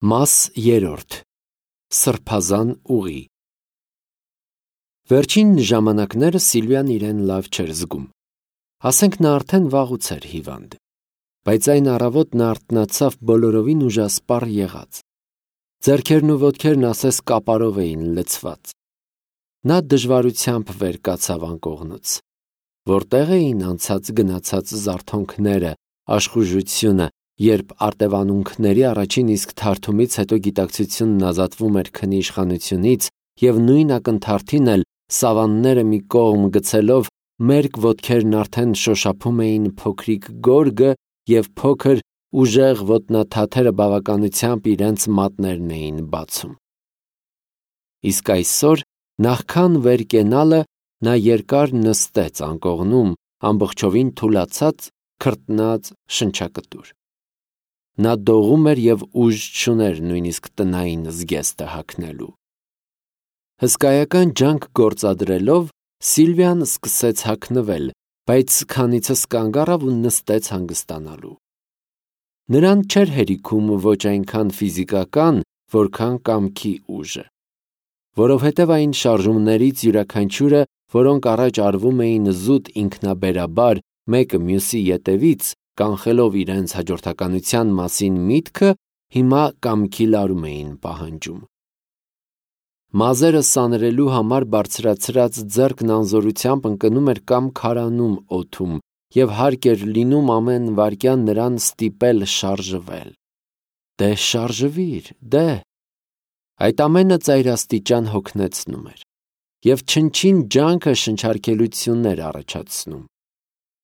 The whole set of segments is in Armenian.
Մաս երրորդ. Սրբազան ուղի։ Վերջին ժամանակները Սիլվիան իրեն լավ չէր զգում։ Ասենք նա արդեն վաղուց էր հիվանդ, բայց այն առավոտ նա արթնացավ բոլորովին ուժասպառ եղած։ Ձեռքերն ու ոտքերն ասես կապարով էին լցված։ Նա դժվարությամբ վեր կացավ անկողնուց։ Որտեղ էին անցած գնացած զարթոնքները, աշխուժությունը, երբ արտևանունքների առաջին իսկ թարթումից հետո գիտակցությունն ազատվում էր քնի իշխանությունից և նույն ակնթարթին էլ սավանները մի կողմ գցելով մերկ ոտքերն արդեն շոշափում էին փոքրիկ գորգը և փոքր ուժեղ ոտնաթաթերը բավականությամբ իրենց մատներն էին բացում։ Իսկ այսօր, նախքան վեր կենալը, նա երկար նստեց անկողնում, ամբողջովին թուլացած, քրտնած, շնչակտուր։ Նա դողում էր և ուժ չուներ նույնիսկ տնային զգեստը հագնելու։ Հսկայական ջանք գործադրելով Սիլվիան սկսեց հագնվել, բայց քանիցս կանգ առավ ու նստեց հանգստանալու։ Նրան չէր հերիքում ոչ այնքան ֆիզիկական, որքան կամքի ուժը, որովհետև այն շարժումներից յուրաքանչյուրը, որոնք առաջ արվում էին զուտ ինքնաբերաբար մեկը մյուսի ետևից, կանխելով իրենց հաջորդականության մասին միտքը, հիմա կամքի լարում էին պահանջում։ Մազերը սանրելու համար բարձրացրած ձեռքն անզորությամբ ընկնում էր կամ քարանում օդում, և հարկ էր լինում ամեն վայրկյան նրան ստիպել շարժվել։ Դե շարժվիր, դե… Այդ ամենը ծայրաստիճան հոգնեցնում էր, և չնչին ջանքը շնչարգելություն էր առաջացնում։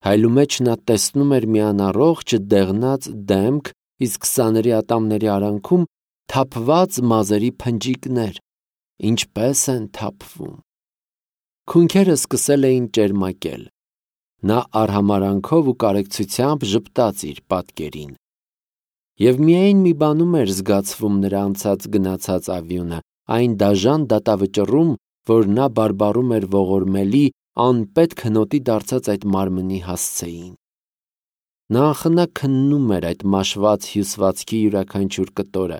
Հայլու մեջ նա տեսնում էր մի անառողջ դեղնած դեմք, իսկ սանրի ատամների արանքում թափված մազերի փնջիկներ, ինչպես են թափվում։ Քունքերը սկսել էին ճերմակել։ Նա արհամարհանքով ու կարեկցությամբ ժպտաց իր պատկերին։ Եվ միայն մի բանում էր զգացվում նրա անցած գնացած ավյունը, այն դաժան դատավճռում, որ նա բարբառում էր ողորմելի, անպետք հնոտի դարձած այդ մարմնի հասցեին։ Նա անխնա քննում էր այդ մաշված հյուսվածքի յուրաքանչյուր կտորը,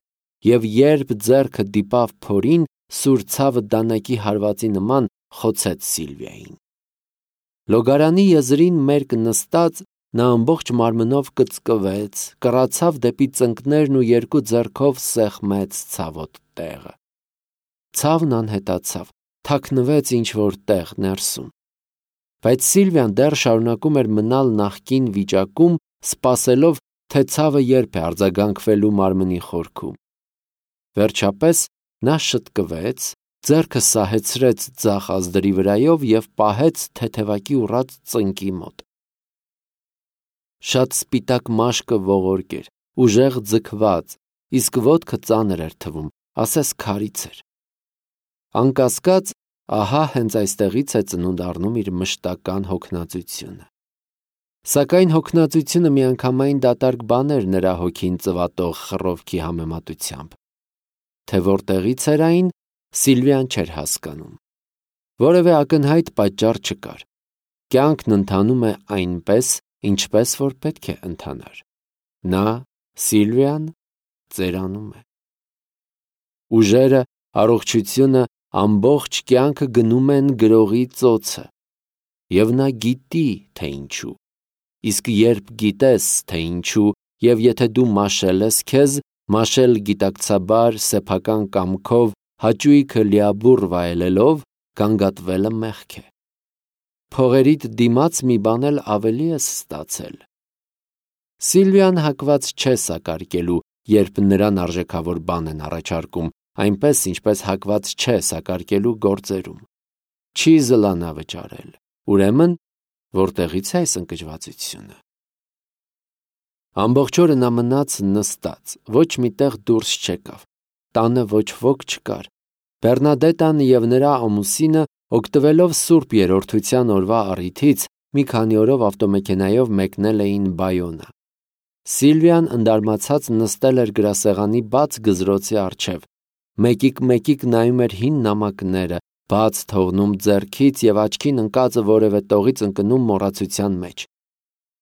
և երբ ձեռքը դիպավ փորին, սուր ցավը դանակի հարվածի նման խոցեց Սիլվիային։ Լոգարանի եզրին մերկ նստած, նա ամբողջ մարմնով կծկվեց, կռացավ դեպի ծնկներն ու երկու ձեռքով սեղմեց ցավոտ տեղը։ Ցավն անհետացավ, թաքնվեց ինչ-որ տեղ ներսում։ Բայց Սիլվիան դեռ շարունակում էր մնալ նախկին վիճակում, սպասելով, թե ցավը երբ է արձագանքվելու մարմնի խորքում։ Վերջապես նա շտկվեց, ձեռքը սահեցրեց ձախ ազդրի վրայով և պահեց թեթևակի ուռած ծնկի մոտ։ Շատ սպիտակ մաշկը ողորկ էր, ուժեղ ձգված, իսկ ոտքը ծանր էր թվում, ասես քարից էր։ Անկասկած, ահա հենց այստեղից է ծնունդ առնում իր մշտական հոգնածությունը։ Սակայն հոգնածությունը միանգամայն դատարկ բան էր նրա հոգին ծվատող խռովքի համեմատությամբ։ Թե որտեղից էր այն, Սիլվիան չէր հասկանում։ Որևէ ակնհայտ պատճառ չկար։ Կյանքն ընթանում է այնպես, ինչպես որ պետք է ընթանար։ Նա, Սիլվիան, ծերանում է։ Ուժերը, առողջությունը, ամբողջ կյանքը գնում են գրողի ծոցը։ Եվ նա գիտի, թե ինչու։ Իսկ երբ գիտես, թե ինչու, և եթե դու մաշել ես քեզ, մաշել գիտակցաբար, սեփական կամքով, հաճույքը լիաբուռ վայելելով, գանգատվելը մեղք է։ Փողերիդ դիմաց մի բան էլ ավելի ես ստացել։ Սիլվիան հակված չէ սակարկելու, երբ նրան արժեքավոր բան են առաջարկում, այնպես, ինչպես հակված չէ սակարկելու գործերում։ Չի զլանա վճարել։ Ուրեմն, որտեղից է այս ընկճվածությունը։ Ամբողջ օրը նա մնաց նստած, ոչ մի տեղ դուրս չեկավ, տանը ոչ ոք չկար։ Բեռնադետան և նրա ամուսինը, օգտվելով Սուրբ Երրորդության օրվա առիթից, մի քանի օրով ավտոմեքենայով մեկնել էին Բայոնա։ Սիլվիան ընդարմացած նստել էր գրասեղանի բաց գզրոցի առջև, մեկիկ նայում էր հին նամակները, բաց թողնում ձեռքից և աչքին ընկածը որևէ տողից ընկնում մոռացության մեջ։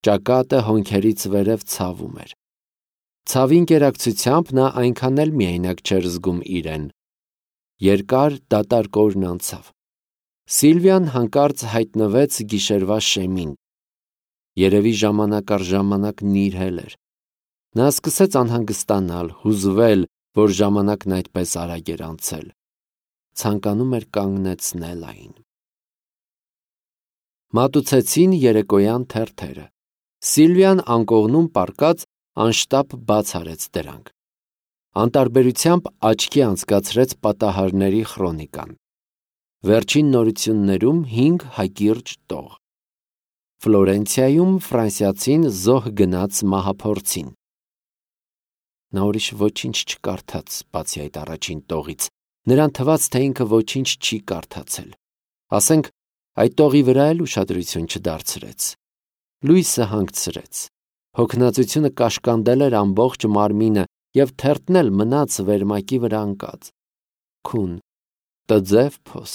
Ճակատը հոնքերից վերև ցավում էր։ Ցավի ընկերակցությամբ նա այնքան էլ միայնակ չէր զգում իրեն։ Երկար դատարկ օրն անցավ։ Սիլվիան հանկարծ հայտնվեց գիշերվա շեմին։ Երևի ժամանակ առ ժամանակ նիրհել էր։ Նա սկսեց անհանգստանալ, հուզվել, որ ժամանակն այդպես արագ էր անցել։ Ցանկանում էր կանգնեցնել այն։ Մատուցեցին երեկոյան թերթերը։ Սիլվիան անկողնում պառկած անշտապ բաց արեց դրանք։ Անտարբերությամբ աչքի անցկացրեց պատահարների խրոնիկան։ Վերջին նորություններում 5 հակիրճ տող։ Ֆլորենցիայում ֆրանսիացին զոհ գնաց մահափորձին։ Նա ուրիշ ոչինչ չկարդաց, բացի այդ առաջին տողից։ Նրան թվաց, թե ինքը ոչինչ չի կարդացել։ Ասենք, այդ տողի վրա էլ ուշադրություն չդարձրեց։ Լույսը հանգցրեց։ Հոգնածությունը կաշկանդել էր ամբողջ մարմինը և թերթն էլ մնաց վերմակի վրա ընկած։ Քուն, տձև փոս։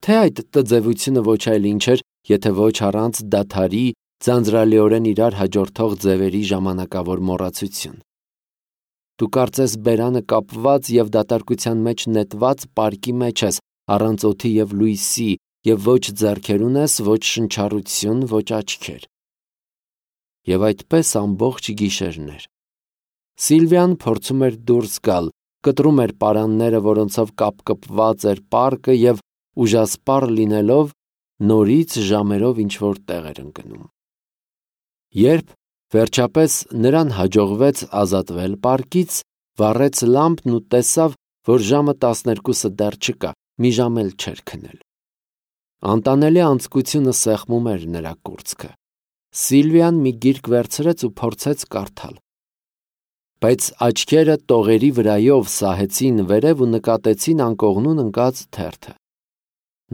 Թե այդ տձևությունը ոչ այլ ինչ էր, եթե ոչ առանց դադարի, ձանձրալիորեն իրար հաջորդող ձևերի ժամանակավոր մոռացություն։ Դու կարծես բերանը կապված և դատարկության մեջ նետված պարկի մեջ ես, առանց օդի և լույսի, և ոչ ձեռքեր ունես, ոչ շնչառություն, ոչ աչքեր։ Եվ այդպես ամբողջ գիշերներ։ Սիլվիան փորձում էր դուրս գալ, կտրում էր պարանները, որոնցով կապկպված էր պարկը և ուժասպառ լինելով, նորից ժամերով ինչ-որ տեղ էր ընկնում։ Երբ վերջապես նրան հաջողվեց ազատվել պարկից, վառեց լամպն ու տեսավ, որ ժամը 12-ը դեռ չկա, մի ժամ էլ չէր քնել։ Անտանելի անձկությունը սեղմում էր նրա կուրծքը։ Սիլվիան մի գիրք վերցրեց ու փորձեց կարդալ։ Բայց աչքերը տողերի վրայով սահեցին վերև ու նկատեցին անկողնուն ընկած թերթը։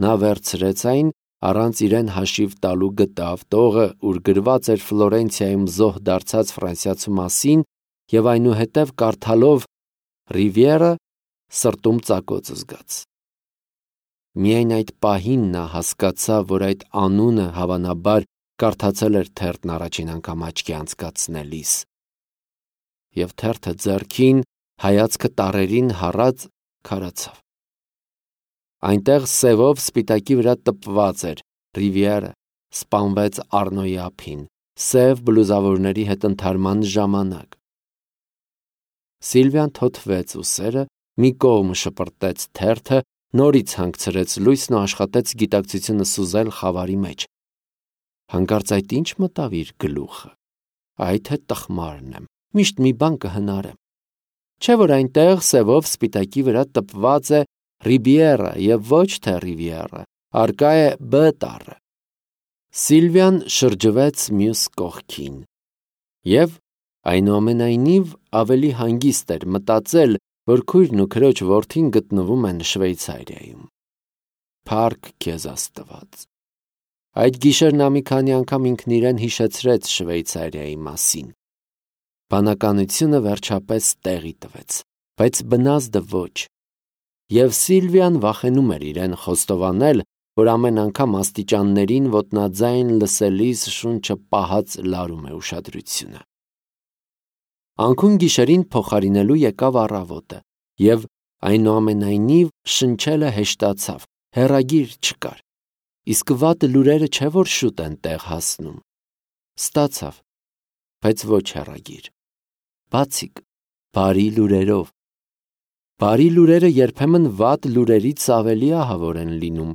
Նա վերցրեց այն, առանց իրեն հաշիվ տալու գտավ տողը, ուր գրված էր Ֆլորենցիայում զոհ դարձած ֆրանսիացու մասին, և այնուհետև կարդալով Ռիվիերը սրտում ծակոց զգաց։ Միայն այդ պահին նա հասկացավ, որ այդ անունը հավանաբար կարդացել էր թերթն առաջին անգամ աչքի անցկացնելիս։ Եվ թերթը ձեռքին, հայացքը տառերին հառած քարացավ։ Այնտեղ սևով սպիտակի վրա տպված էր Ռիվիերը սպանվեց Առնոյի ափին, սև բլուզավորների հետ ընդհարման ժամանակ։ Սիլվիան թոթվեց ուսերը, մի կողմ շպրտեց թերթը, նորից հանգցրեց լույսն ու աշխատեց գիտակցությունը սուզել խավարի մեջ։ Հանկարծ այդ ինչ մտավ իր գլուխը։ Այ թե տխմարն եմ, միշտ մի բան կհնարեմ։ Չէ՞ որ այնտեղ սևով սպիտակի վրա տպված է Ռիբիերը և ոչ թե Ռիվիերը, առկա է B տառը։ Սիլվիան շրջվեց մյուս կողքին և այնուամենայնիվ ավելի հանգիստ էր մտածել, որ քույրն ու քրոջ որդին գտնվում են Շվեյցարիայում։ Փառք քեզ Աստված։ Այդ գիշեր նա մի քանի անգամ ինքն իրեն հիշեցրեց Շվեյցարիայի մասին։ Բանականությունը վերջապես տեղի տվեց, բայց բնազդը ոչ։ Եվ Սիլվիան վախենում էր իրեն խոստովանել, որ ամեն անգամ աստիճաններին ոտնաձայն լսելիս շունչը պահած լարում է ուշադրությունը։ Անքուն գիշերին փոխարինելու եկավ առավոտը, և այնուամենայնիվ շնչելը հեշտացավ, հեռագիր չկար։ Իսկ վատ լուրերը չէ որ շուտ են տեղ հասնում։ Ստացավ, բայց ոչ հեռագիր։ Բացիկ, բարի լուրերով։ Բարի լուրերը երբեմն վատ լուրերից ավելի ահավոր են լինում։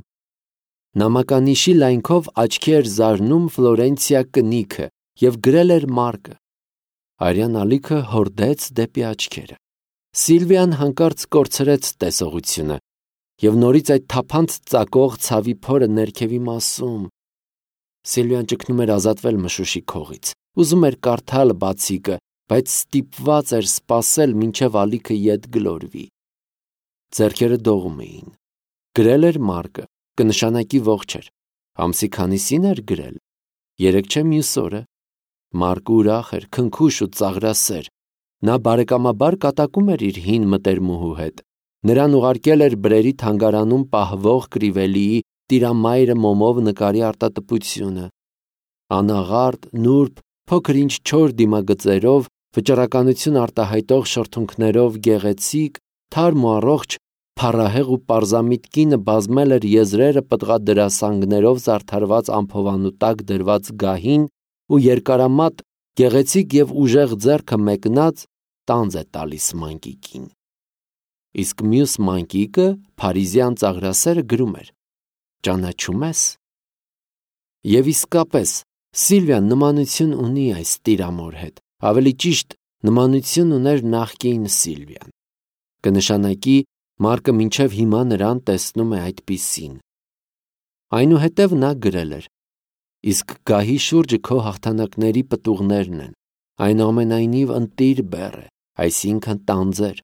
Նամականիշի լայնքով աչքի էր զարնում Ֆլորենցիա կնիքը և գրել էր Մարկը։ Արյան ալիքը հորդեց դեպի աչքերը։ Սիլվիան հանկարծ կորցրեց տեսողությունը և նորից այդ թափանց ծակող ցավի փորը ներքևի մասում։ Սիլվիան ճգնում էր ազատվել մշուշի քողից, ուզում էր կարդալ բացիկը, բայց ստիպված էր սպասել, մինչև ալիքը ետ գլորվի։ Ձեռքերը դողում էին։ Գրել էր Մարկը, կնշանակի ողջ էր։ Ամսի քանիսին էր գրել։ 3 չէ մյուս օրը։ Մարկը ուրախ էր, քնքուշ ու ծաղրասեր։ Նա բարեկամաբար կատակում էր իր հին մտերմուհու հետ։ Նրան ուղարկել էր Բրերի թանգարանում պահվող Կրիվելիի Տիրամայրը մոմով նկարի արտատպությունը։ Անաղարտ, նուրբ, փոքր ինչ չոր դիմագծերով, վճռականություն արտահայտող շրթունքներով գեղեցիկ, թարմ ու առողջ, փառահեղ ու պարզամիտ կինը բազմել էր եզրերը պտղադրասանգներով զարդարված ամփովանու տակ դրված գահին ու երկարամատ, գեղեցիկ և ուժեղ ձեռքը մեկնած տանձ է տալիս մանկիկին։ Իսկ մյուս մանկիկը, փարիզյան ծաղրասերը, գրում էր. «Ճանաչում ես»։ Եվ իսկապես, Սիլվիան նմանություն ունի այս տիրամոր հետ, ավելի ճիշտ, նմանություն ուներ նախկին Սիլվիան։ Կնշանակի, Մարկը մինչև հիմա նրան տեսնում է այդպիսին։ Այնուհետև նա գրել էր. «Իսկ գահի շուրջը քո հաղթանակների պտուղներն են, այնուամենայնիվ ընտիր բեռ է, այսինքն տանձեր,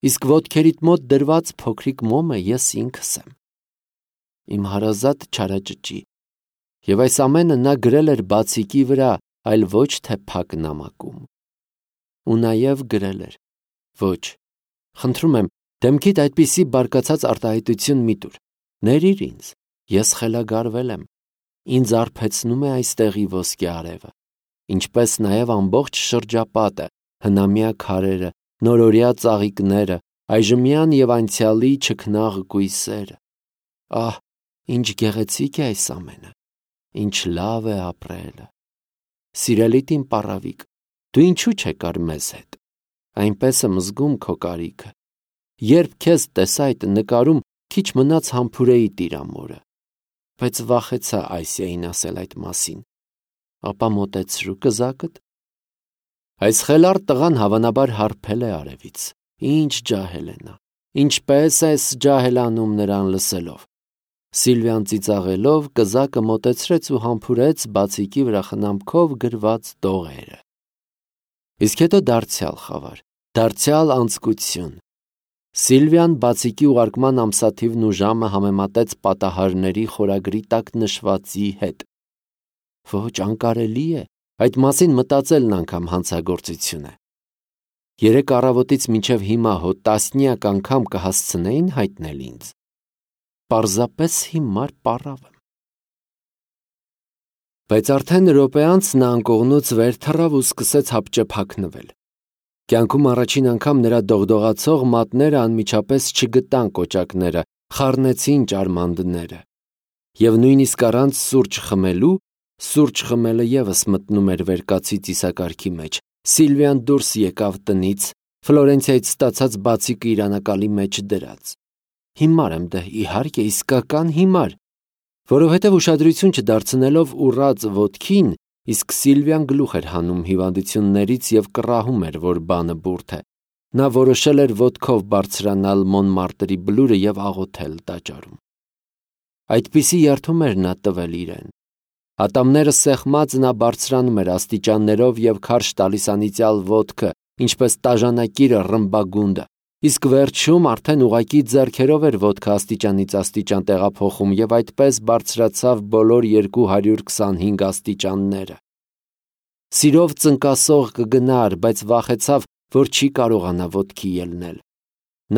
իսկ ոտքերիդ մոտ դրված փոքրիկ մոմը ես ինքս եմ»։ Իմ հարազատ չարաճճի։ Եվ այս ամենը նա գրել էր բացիկի վրա, այլ ոչ թե փակ նամակում։ Ու նաև գրել էր. «Ոչ, խնդրում եմ, դեմքիդ այդպիսի բարկացած արտահայտություն մի տուր, ներիր ինձ, ես խելագարվել եմ, ինձ արբեցնում է այստեղի ոսկե արևը, ինչպես նաև ամբողջ շրջապատը, հնամյա քարերը, նորօրյա ծաղիկները, այժմյան և անցյալի չքնաղ կույսերը։ Ահ, ինչ գեղեցիկ է այս ամենը, ինչ լավ է ապրելը։ Սիրելիդ իմ պառավիկ, դու ինչու չեկար մեզ հետ, այնպես եմ զգում քո կարիքը։ Երբ քեզ տեսա այդ նկարում, քիչ մնաց համբուրեի տիրամորը, բայց վախեցա Այսիային ասել այդ մասին։ Ապա մոտեցրու կզակդ»։ Այս խելառ տղան հավանաբար հարբել է արևից։ Ինչ ջահել է նա, ինչպես ես ջահելանում նրան լսելով։ Սիլվիան ծիծաղելով կզակը մոտեցրեց ու համբուրեց բացիկի վրա խնամքով գրված տողերը։ Իսկ հետո դարձյալ խավար, դարձյալ անձկություն։ Սիլվիան բացիկի ուղարկման ամսաթիվն ու ժամը համեմատեց պատահարների խորագրի տակ նշվածի հետ։ Ոչ, անկարելի է, այդ մասին մտածելն անգամ հանցագործություն է։ Երեկ առավոտից մինչև հիմա հո տասնյակ անգամ կհասցնեին հայտնել ինձ։ Պարզապես հիմար պառավ եմ։ Բայց արդեն րոպե անց նա անկողնուց վեր թռավ ու սկսեց հապճեպ-հագնվել։ Կյանքում առաջին անգամ նրա դողդողացող մատները անմիջապես չգտան կոճակները, խառնեցին ճարմանդները։ Եվ նույնիսկ առանց սուրճ խմելու, սուրճ խմելը ևս մտնում էր վերկացի ծիսակարգի մեջ, Սիլվիան դուրս եկավ տնից, Ֆլորենցիայից ստացած բացիկը իր անակալի մեջ դրած։ Հիմար եմ դե, իհարկե, իսկական հիմար, որովհետև ուշադրություն չդարձնելով ուռած ոտքին, իսկ Սիլվիան գլուխ էր հանում հիվանդություններից և կռահում էր, որ բանը բուրդ է։ Նա որոշել էր ոտքով բարձրանալ Մոնմարտրի բլուրը և աղոթել տաճարում։ Այդպիսի երդում էր նա տվել իրեն։ Ատամները սեղմած նա բարձրանում էր աստիճաններով և քարշ տալիս անիծյալ ոտքը, ինչպես տաժանակիրը ռմբագունդը, իսկ վերջում արդեն ուղղակի ձեռքերով էր ոտքը աստիճանից աստիճան տեղափոխում և այդպես բարձրացավ բոլոր 225 աստիճանները։ Սիրով ծնկասող կգնար, բայց վախեցավ, որ չի կարողանա ոտքի ելնել։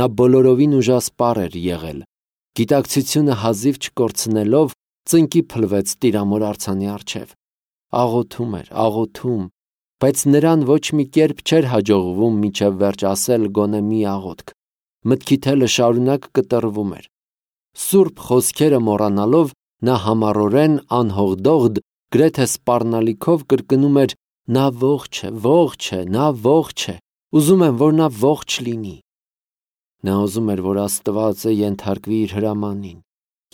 Նա բոլորովին ուժասպառ էր եղել։ Գիտակցությունը հազիվ չկորցնելով, ծնկի փլվեց տիրամոր արձանի առջև։ Աղոթում էր, աղոթում, բայց նրան ոչ մի կերպ չէր հաջողվում մինչև վերջ ասել գոնե մի աղոթք։ Մտքի թելը շարունակ կտրվում էր։ Սուրբ խոսքերը մոռանալով, նա համառորեն անհողդողդ, գրեթե սպառնալիքով կրկնում էր. «Նա ողջ է, ողջ է, նա ողջ է, ուզում եմ, որ նա ողջ լինի»։ Նա ուզում էր, որ Աստվածը ենթարկվի իր հրամանին,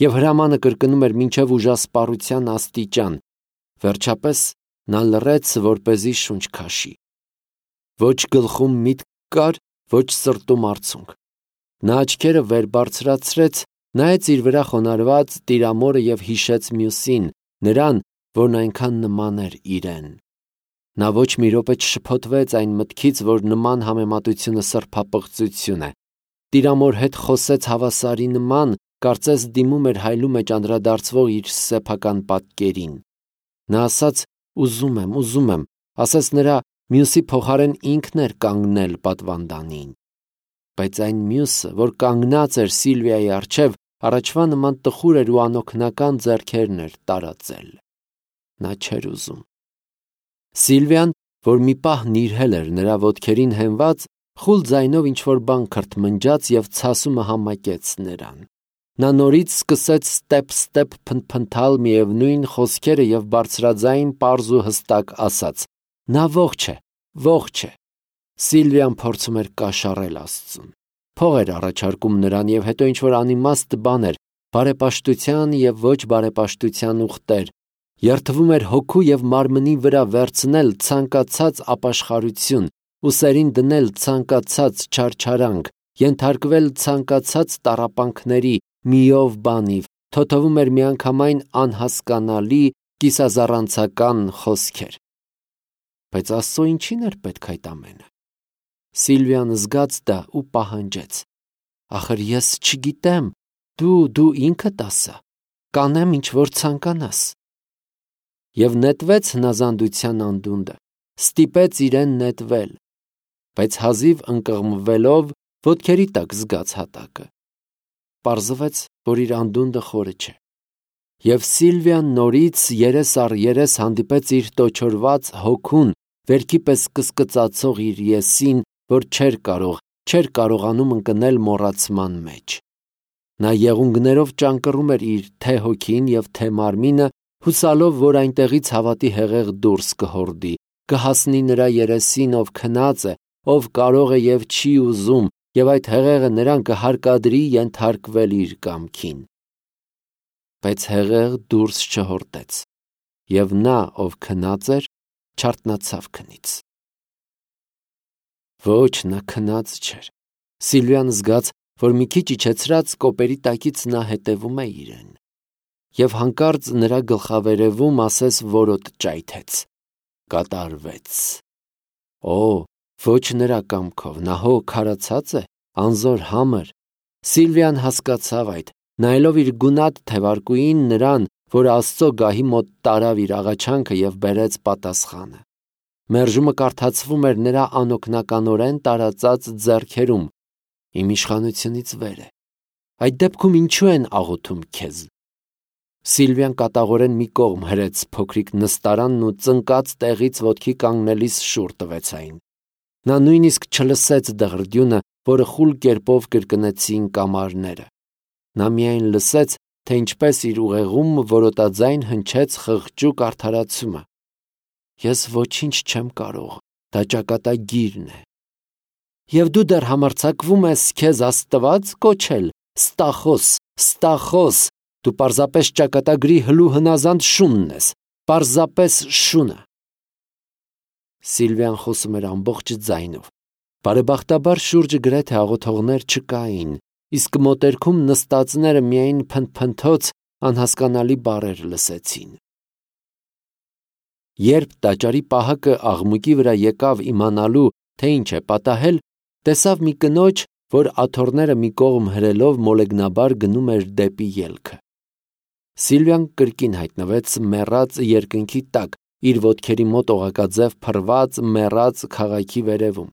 և հրամանը կրկնում էր մինչև ուժասպառության աստիճան։ Վերջապես նա լռեց, որպեսզի շունչ քաշի։ Ոչ գլխում միտք կար, ոչ սրտում արցունք։ Նա աչքերը վեր բարձրացրեց, նայեց իր վրա խոնարհված տիրամորը և հիշեց մյուսին, նրան, որն այնքան նման էր իրեն։ Նա ոչ մի րոպե չշփոթվեց այն մտքից, որ նման համեմատությունը սրբապղծություն է։ Տիրամոր հետ խոսեց հավասարի նման, կարծես դիմում էր հայլու մեջ անդրադարձվող իր սեփական պատկերին։ Նա ասաց. ուզում եմ, ասես նրա մյուսի փոխարեն ինքն էր կանգնել պատվանդանին։ Բայց այն մյուսը, որ կանգնած էր Սիլվիայի առջև, առաջվա նման տխուր էր ու անօգնական ձեռքերն էր տարածել։ Նա չէր ուզում։ Սիլվիան, որ մի պահ նիրհել էր նրա ոտքերին հենված, խուլ ձայնով ինչ-որ բան քրթմնջաց և ցասումը համակեց նրան։ Նա նորից սկսեց ստեպ փնթփնթալ միևնույն խոսքերը և բարձրաձայն պարզ ու հստակ ասաց. «Նա ողջ է, ողջ է»։ Սիլվիան փորձում էր կաշառել Աստծուն։ Փող էր առաջարկում նրան և հետո ինչ-որ անիմաստ բաներ, բարեպաշտության և ոչ բարեպաշտության ուխտեր, երդվում էր հոգու և մարմնի վրա վերցնել ցանկացած ապաշխարություն, ուսերին դնել ցանկացած չարչարանք, ենթարկվել ցանկացած տառապանքների, միով բանիվ, թոթվում էր միանգամայն անհասկանալի, կիսազառանցական խոսքեր։ Բայց Աստծո ինչին էր պետք այդ ամենը։ Սիլվիան զգաց դա ու պահանջեց. «Ախր ես չգիտեմ, դու ինքդ ասա, կանեմ ինչ որ ցանկանաս»։ Եվ նետվեց հնազանդության անդունդը, ստիպեց իրեն նետվել, բայց հազիվ ընկղմվելով ոտքերի տակ զգաց հատակը։ Պարզվեց, որ իր անդունդը խորը չէ։ Եվ Սիլվիան նորից երես առ երես հանդիպեց իր տոչորված հոգուն, վերքի պես կսկծացող իր եսին, որ չէր կարողանում ընկնել մոռացման մեջ։ Նա եղունգներով ճանկռում էր իր թե հոգին և թե մարմինը, հուսալով, որ այնտեղից հավատի հեղեղ դուրս կհորդի, կհասնի նրա երեսին, ով քնած է, ով կարող է և չի ուզում, և այդ հեղեղը նրան կհարկադրի ենթարկվել իր կամքին։ Բայց հեղեղ դուրս չհորդեց, և նա, ով քնած էր, չարթնացավ քնից։ Ոչ, նա քնած չէր։ Սիլվիան զգաց, որ մի քիչ իջեցրած կոպերի տակից նա հետևում է իրեն։ Եվ հանկարծ նրա գլխավերևում ասես որոտ ճայթեց. կատարվեց։ Օ, ոչ նրա կամքով, նա հո քարացած է, անզոր համր։ Սիլվիան հասկացավ այդ, նայելով իր գունատ թևարկուին նրան, որ Աստծո գահի մոտ տարավ իր աղաչանքը և բերեց պատասխանը։ Մերժումը կարդացվում էր նրա անօգնականորեն տարածած ձեռքերում. «Իմ իշխանությունից վեր է։ Այդ դեպքում ինչու են աղոթում քեզ»։ Սիլվիան կատաղորեն մի կողմ հրեց փոքրիկ նստարանն ու ծնկած տեղից ոտքի կանգնելիս շուռ տվեց այն։ Նա նույնիսկ չլսեց դղրդյունը, որը խուլ կերպով կրկնեցին կամարները։ Նա միայն լսեց, թե ինչպես իր ուղեղում որոտաձայն հնչեց խղճուկ արդարացումը. «Ես ոչինչ չեմ կարող, դա ճակատագիրն է»։ Եվ դու դեռ համարձակվում ես քեզ Աստված կոչել, Ստախոս, դու պարզապես ճակատագրի հլու հնազանդ շունն ես, պարզապես շունը։ Սիլվիան խոսում էր ամբողջ ձայնով։ Բարեբախտաբար շուրջը գրեթե աղոթողներ չկային, իսկ մոտերքում նստածները միայն փնթփնթոց անհասկանալի բառեր լսեցին։ Երբ տաճարի պահակը աղմուկի վրա եկավ իմանալու, թե ինչ է պատահել, տեսավ մի կնոջ, որ աթոռները մի կողմ հրելով մոլեգնաբար գնում էր դեպի ելքը։ Սիլվիան կրկին հայտնվեց մեռած երկնքի տակ, իր ոտքերի մոտ օղակաձև փռված մեռած քաղաքի վերևում։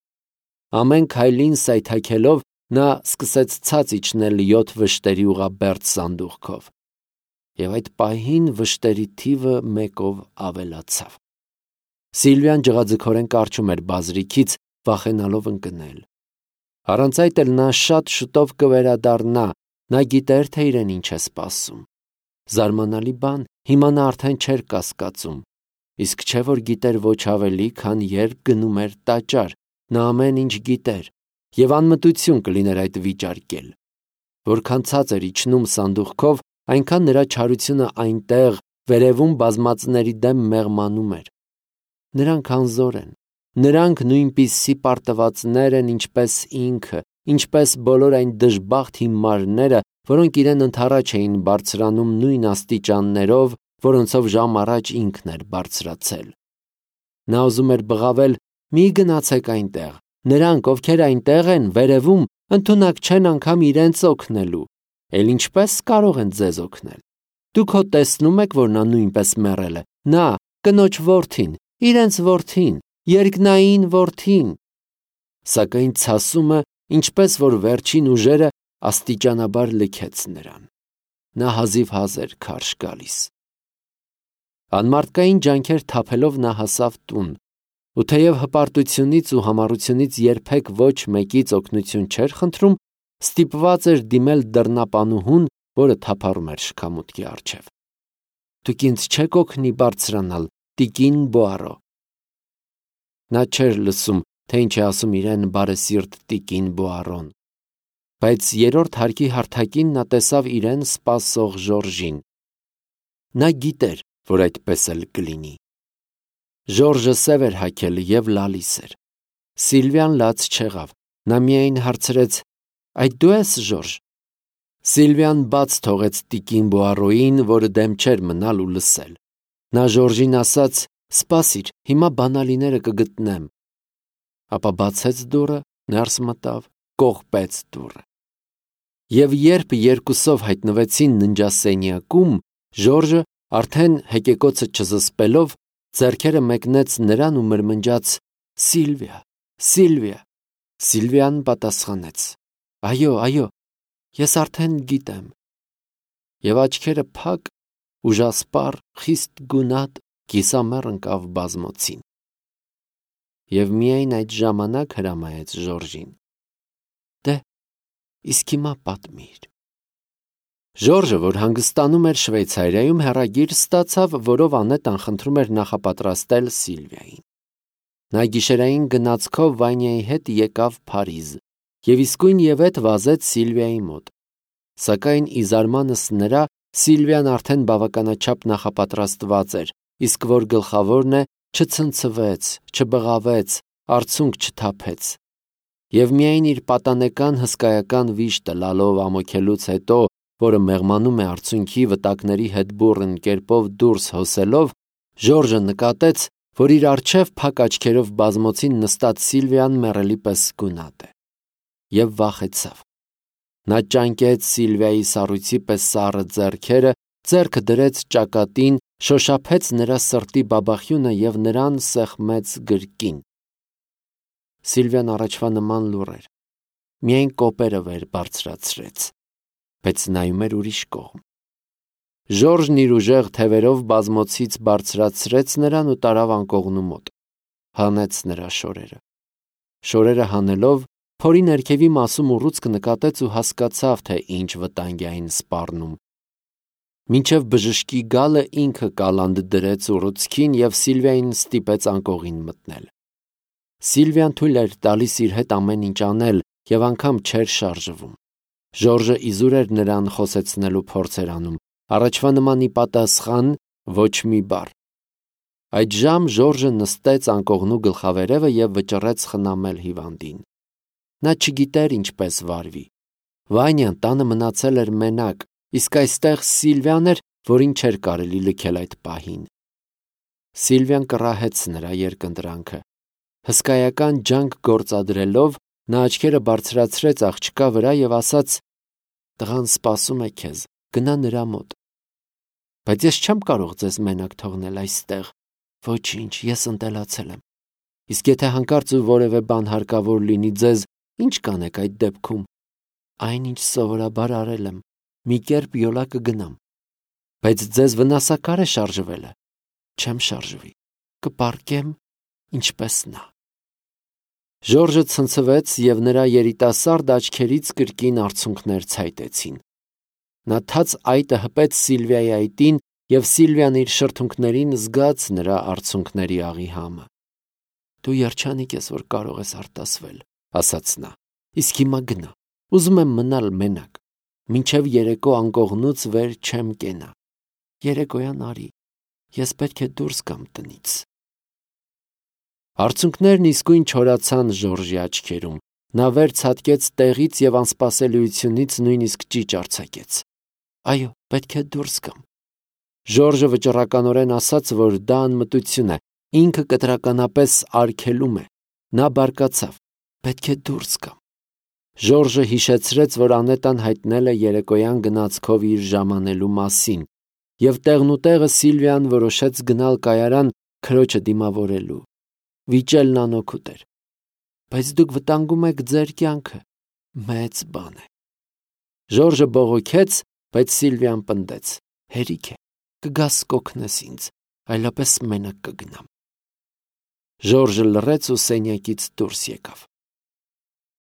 Ամեն քայլին սայթաքելով նա սկսեց ցած իջնել 7 վշտերի ուղաբերդ սանդուղքով։ Եվ այդ պահին վշտերի թիվը 1-ով ավելացավ։ Սիլվիան ջղաձգորեն կառչում էր բազրիքից, վախենալով ընկնել։ Առանց այդ էլ նա շատ շուտով կվերադառնա, նա գիտեր, թե իրեն ինչ է սպասում։ Զարմանալի բան, հիմա նա արդեն չէր կասկածում, իսկ չէ որ գիտեր ոչ ավելի, քան երբ գնում էր տաճար, նա ամեն ինչ գիտեր, և անմտություն կլիներ այդ վիճարկել։ Որքան ցած էր իջնում սանդուղքով, այնքան նրա չարությունը այնտեղ, վերևում բազմածների դեմ մեղմանում էր։ Նրանք անզոր են, նրանք նույնպիսի պարտվածներ են, ինչպես ինքը, ինչպես բոլոր այն դժբախտ հիմարները, որոնք իրեն ընդառաջ էին բարձրանում նույն աստիճաններով, որոնցով ժամ առաջ ինքն էր բարձրացել։ Նա ուզում էր բղավել. «Մի գնացեք այնտեղ, նրանք, ովքեր այնտեղ են, վերևում, ընդունակ չեն անգամ իրենց օգնելու, էլ ինչպես կարող են ձեզ օգնել։ Դուք հո տեսնում եք, որ նա նույնպես մեռել է, նա, կնոջ որդին, իրենց որդին, երկնային որդին»։ Սակայն ցասումը, ինչպես որ վերջին ուժերը, աստիճանաբար լքեց նրան։ Նա հազիվ էր քարշ գալիս։ Անմարդկային ջանքեր թափելով նա հասավ տուն, ու թեև հպարտությունից ու համառությունից երբեք ոչ մեկից օգնություն չէր խնդրում, ստիպված էր դիմել դռնապանուհուն, որը թափառում էր շքամուտքի առջև։ «Դուք ինձ չեք օգնի բարձրանալ, տիկին Բոարո»։ Նա չէր լսում, թե ինչ է ասում իրեն բարեսիրտ տիկին Բոարոն, բայց երրորդ հարկի հարթակին նա տեսավ իրեն սպասող Ժորժին։ Նա գիտեր, որ այդպես էլ կլինի։ Ժորժը սև էր հագել և լալիս էր։ Սիլվիան լաց չեղավ, նա միայն հարցրեց. «Այդ դու ես, Ժորժ»։ Սիլվիան բաց թողեց տիկին Բոարոյին, որը դեմ չէր մնալ ու լսել։ Նա Ժորժին ասաց. «Սպասիր, հիմա բանալիները կգտնեմ»։ Ապա բացեց դուռը, ներս մտավ, կողպեց դուռը։ Եվ երբ երկուսով հայտնվեցին ննջասենյակում, Ժորժը, արդեն հեկեկոցը չզսպելով, ձեռքերը մեկնեց նրան ու մրմնջաց. «Սիլվիա, Սիլվիա»։ Սիլվիան պատասխանեց. «Այո, ես արդեն գիտեմ»։ Եվ աչքերը փակ, ուժասպառ, խիստ գունատ, կիսամեռ ընկավ բազմոցին։ Եվ միայն այդ ժամանակ հրամայեց Ժորժին. «Դե, իսկ հիմա պատմիր»։ Ժորժը, որ հանգստանում էր Շվեյցարիայում, հեռագիր ստացավ, որով անետան խնդրում էր նախապատրաստել Սիլվիային։ Նա գիշերային գնացքով Վանյայի հետ եկավ Փարիզ և իսկույնևեթ վազեց Սիլվիայի մոտ։ Սակայն ի զարմանս նրա, Սիլվիան արդեն բավականաչափ նախապատրաստված էր, իսկ որ գլխավորն է, չցնցվեց, չբղավեց, արցունք չթափեց։ Եվ միայն իր պատանեկան հսկայական վիշտը լալով ամոքելուց հետո, որը մեղմանում է արցունքի վտակների հետ բուռն կերպով դուրս հոսելով, Ժորժը նկատեց, որ իր առջև փակ աչքերով բազմոցին նստած Սիլվիան մեռելի պես գունատ է։ Եվ վախեցավ։ Նա ճանկեց Սիլվիայի սառույցի պես սառը ձեռքերը, ձեռքը դրեց ճակատին, շոշափեց նրա սրտի բաբախյունը և նրան սեղմեց գրկին։ Սիլվիան առաջվա նման լուռ էր, միայն կոպերը վեր բարձրացրեց, բայց նայում էր ուրիշ կողմ։ Ժորժն իր ուժեղ թևերով բազմոցից բարձրացրեց նրան ու տարավ անկողնու մոտ, հանեց նրա շորերը։ Շորերը հանելով, փորի ներքևի մասում ուռուցք նկատեց ու հասկացավ, թե ինչ վտանգ է այն սպառնում։ Մինչև բժշկի գալը ինքը կալանդ դրեց ուռուցքին և Սիլվիային ստիպեց անկողին մտնել։ Սիլվիան թույլ էր տալիս իր հետ ամեն ինչ անել և անգամ չէր շարժվում։ Ժորժը իզուր էր նրան խոսեցնելու փորձեր անում, առաջվա նման ի պատասխան ոչ մի բառ։ Այդժամ Ժորժը նստեց անկողնու գլխավերևը և վճռեց խնամել հիվանդին։ Նա չգիտեր ինչպես վարվի։ Վանյան տանը մնացել էր մենակ, իսկ այստեղ Սիլվիան էր, որին չէր կարելի լքել այդ պահին։ Սիլվիան կռահեց նրա երկընտրանքը։ Հսկայական ջանք գործադրելով, նա աչքերը բարձրացրեց աղջկա վրա և ասաց. «Տղան սպասում է քեզ, գնա նրա մոտ»։ «Բայց ես չեմ կարող ձեզ մենակ թողնել այստեղ»։ «Ոչինչ, ես ընտելացել եմ։ Իսկ եթե հանկարծ ու որևէ բան հարկավոր լինի ձեզ, ի՞նչ կանեք այդ դեպքում»։ «Այն, ինչ սովորաբար արել եմ, մի կերպ յոլա կգնամ»։ «Բայց ձեզ վնասակար է շարժվելը»։ «Չեմ շարժվի, կպառկեմ, ինչպես նա»։ Ժորժը ցնցվեց և նրա երիտասարդ աչքերից կրկին արցունքներ ցայտեցին։ Նա թաց այտը հպեց Սիլվիայի այտին և Սիլվիան իր շրթունքներին զգաց նրա արցունքների աղի համը։ «Դու երջանիկ ես, որ կարող ես արտասվել», ասաց նա։ «Իսկ հիմա գնա, ուզում եմ մնալ մենակ, մինչև երեկո անկողնուց վեր չեմ կենա։ Երեկոյան արի, ես պետք է դուրս գամ տնից»։ Արցունքներն իսկույն չորացան Ժորժի աչքերում։ Նա վեր ցատկեց տեղից և անսպասելիությունից նույնիսկ ճիչ արձակեց։ «Այո, պետք է դուրս գամ»։ Ժորժը վճռականորեն ասաց, որ դա անմտություն է, ինքը կտրականապես արգելում է։ Նա բարկացավ. «Պետք է դուրս գամ»։ Ժորժը հիշեցրեց, որ Անետան հայտնել է երեկոյան գնացքով իր ժամանելու մասին, և տեղնուտեղը Սիլվիան որոշեց գնալ կայարան քրոջը դիմավորելու։ Վիճելն անօգուտ էր։ «Բայց դուք վտանգում եք ձեր կյանքը, մեծ բան է»։ Ժորժը բողոքեց, բայց Սիլվիան պնդեց. «Հերիք է, կգաս կօգնես ինձ, այլապես մենակ կգնամ»։ Ժորժը լռեց ու սենյակից դուրս եկավ։